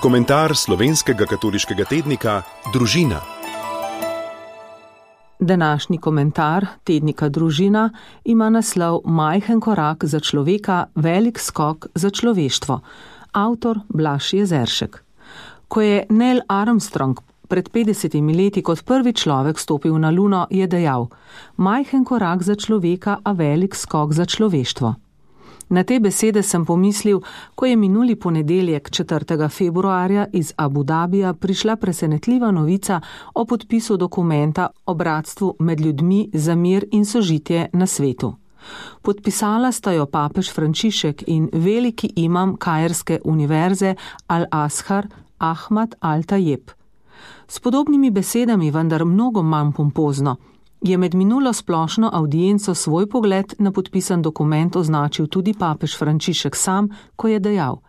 Komentar slovenskega katoliškega tednika Družina. Današnji komentar tednika Družina ima naslov Majhen korak za človeka, velik skok za človeštvo. Avtor Blaž Jezeršek. Ko je Neil Armstrong pred 50 leti kot prvi človek stopil na Luno, je dejal: majhen korak za človeka, a velik skok za človeštvo. Na te besede sem pomislil, ko je minuli ponedeljek 4. februarja iz Abu Dabija prišla presenetljiva novica o podpisu dokumenta o bratstvu med ljudmi za mir in sožitje na svetu. Podpisala sta jo papež Frančišek in veliki imam Kairske univerze Al-Azhar Ahmad Al-Tajeb. S podobnimi besedami, vendar mnogo manj pompozno, je med minulo splošno avdienco svoj pogled na podpisan dokument označil tudi papež Frančišek sam, ko je dejal: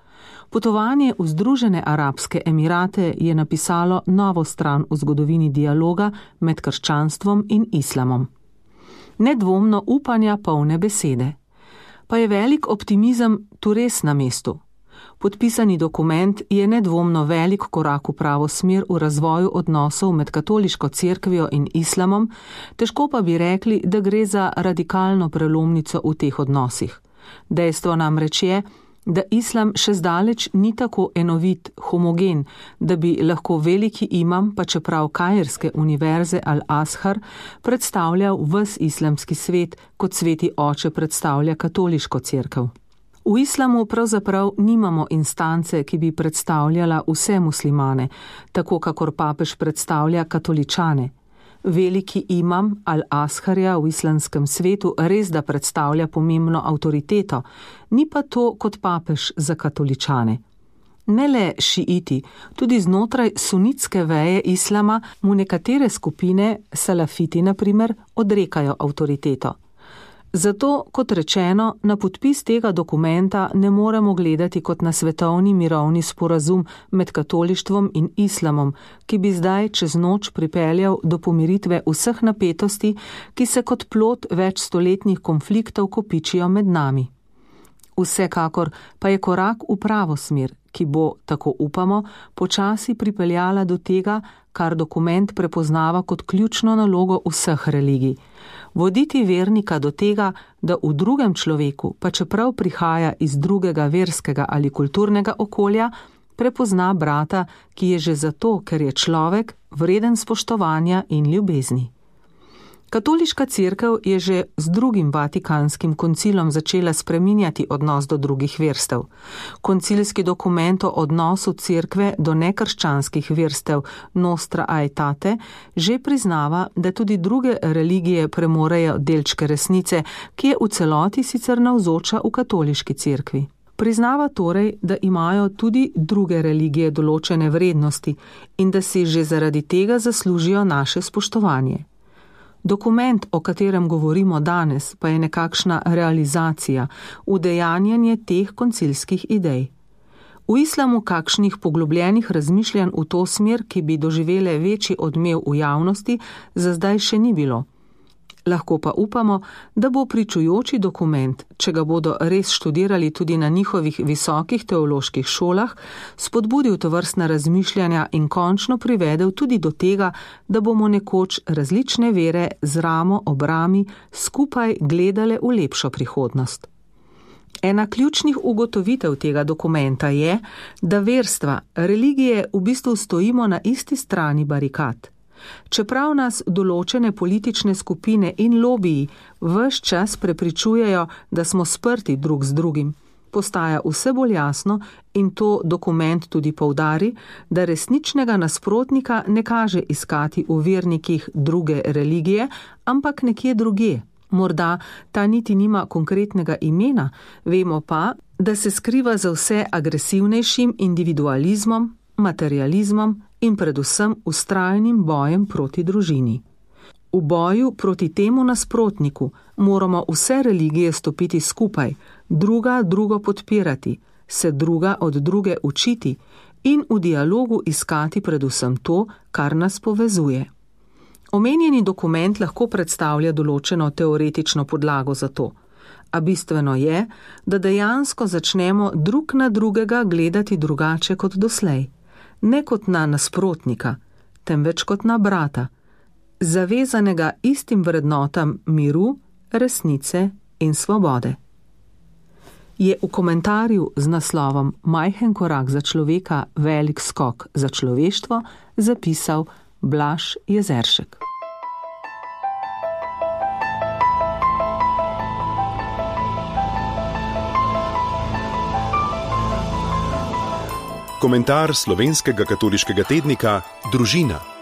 potovanje v Združene arabske emirate je napisalo novo stran v zgodovini dialoga med krščanstvom in islamom. Nedvomno upanja polne besede. Pa je velik optimizem tu res na mestu. Podpisani dokument je nedvomno velik korak v pravo smer v razvoju odnosov med katoliško cerkvijo in islamom, težko pa bi rekli, da gre za radikalno prelomnico v teh odnosih. Dejstvo namreč je, da islam še zdaleč ni tako enovit, homogen, da bi lahko veliki imam, pa čeprav Kairske univerze Al-Azhar, predstavljal ves islamski svet, kot sveti oče predstavlja katoliško cerkev. V islamu pravzaprav nimamo instance, ki bi predstavljala vse muslimane, tako kakor papež predstavlja katoličane. Veliki imam Al-Azharja v islamskem svetu res da predstavlja pomembno avtoriteto, ni pa to kot papež za katoličane. Ne le šiiti, tudi znotraj sunitske veje islama mu nekatere skupine, salafiti na primer, odrekajo avtoriteto. Zato, kot rečeno, na podpis tega dokumenta ne moremo gledati kot na svetovni mirovni sporazum med katolištvom in islamom, ki bi zdaj čez noč pripeljal do pomiritve vseh napetosti, ki se kot plod večstoletnih konfliktov kopičijo med nami. Vsekakor pa je korak v pravo smer, ki bo, tako upamo, počasi pripeljala do tega, kar dokument prepoznava kot ključno nalogo vseh religij. Voditi vernika do tega, da v drugem človeku, pa čeprav prihaja iz drugega verskega ali kulturnega okolja, prepozna brata, ki je že zato, ker je človek, vreden spoštovanja in ljubezni. Katoliška cerkev je že z drugim Vatikanskim koncilom začela spreminjati odnos do drugih verstev. Koncilski dokument o odnosu cerkve do nekrščanskih verstev Nostra Aetate že priznava, da tudi druge religije premorejo delčke resnice, ki je v celoti sicer navzoča v katoliški cerkvi. Priznava torej, da imajo tudi druge religije določene vrednosti in da si že zaradi tega zaslužijo naše spoštovanje. Dokument, o katerem govorimo danes, pa je nekakšna realizacija, udejanjanje teh koncilskih idej. V islamu kakšnih poglobljenih razmišljanj v to smer, ki bi doživele večji odmev v javnosti, za zdaj še ni bilo. Lahko pa upamo, da bo pričujoči dokument, če ga bodo res študirali tudi na njihovih visokih teoloških šolah, spodbudil tovrstna razmišljanja in končno privedel tudi do tega, da bomo nekoč različne vere z ramo ob rami skupaj gledale v lepšo prihodnost. Ena ključnih ugotovitev tega dokumenta je, da verstva, religije v bistvu stojimo na isti strani barikad. Čeprav nas določene politične skupine in lobiji ves čas prepričujejo, da smo sprti drug z drugim, postaja vse bolj jasno, in to dokument tudi poudari, da resničnega nasprotnika ne kaže iskati v vernikih druge religije, ampak nekje drugje. Morda ta niti nima konkretnega imena, vemo pa, da se skriva za vse agresivnejšim individualizmom, materializmom in predvsem vztrajnim bojem proti družini. V boju proti temu nasprotniku moramo vse religije stopiti skupaj, druga drugo podpirati, se druga od druge učiti in v dialogu iskati predvsem to, kar nas povezuje. Omenjeni dokument lahko predstavlja določeno teoretično podlago za to, a bistveno je, da dejansko začnemo drug na drugega gledati drugače kot doslej. ne kot na nasprotnika, temveč kot na brata, zavezanega istim vrednotam miru, resnice in svobode. Je v komentarju z naslovom Majhen korak za človeka, velik skok za človeštvo zapisal Blaž Jezeršek. Komentar slovenskega katoliškega tednika Družina.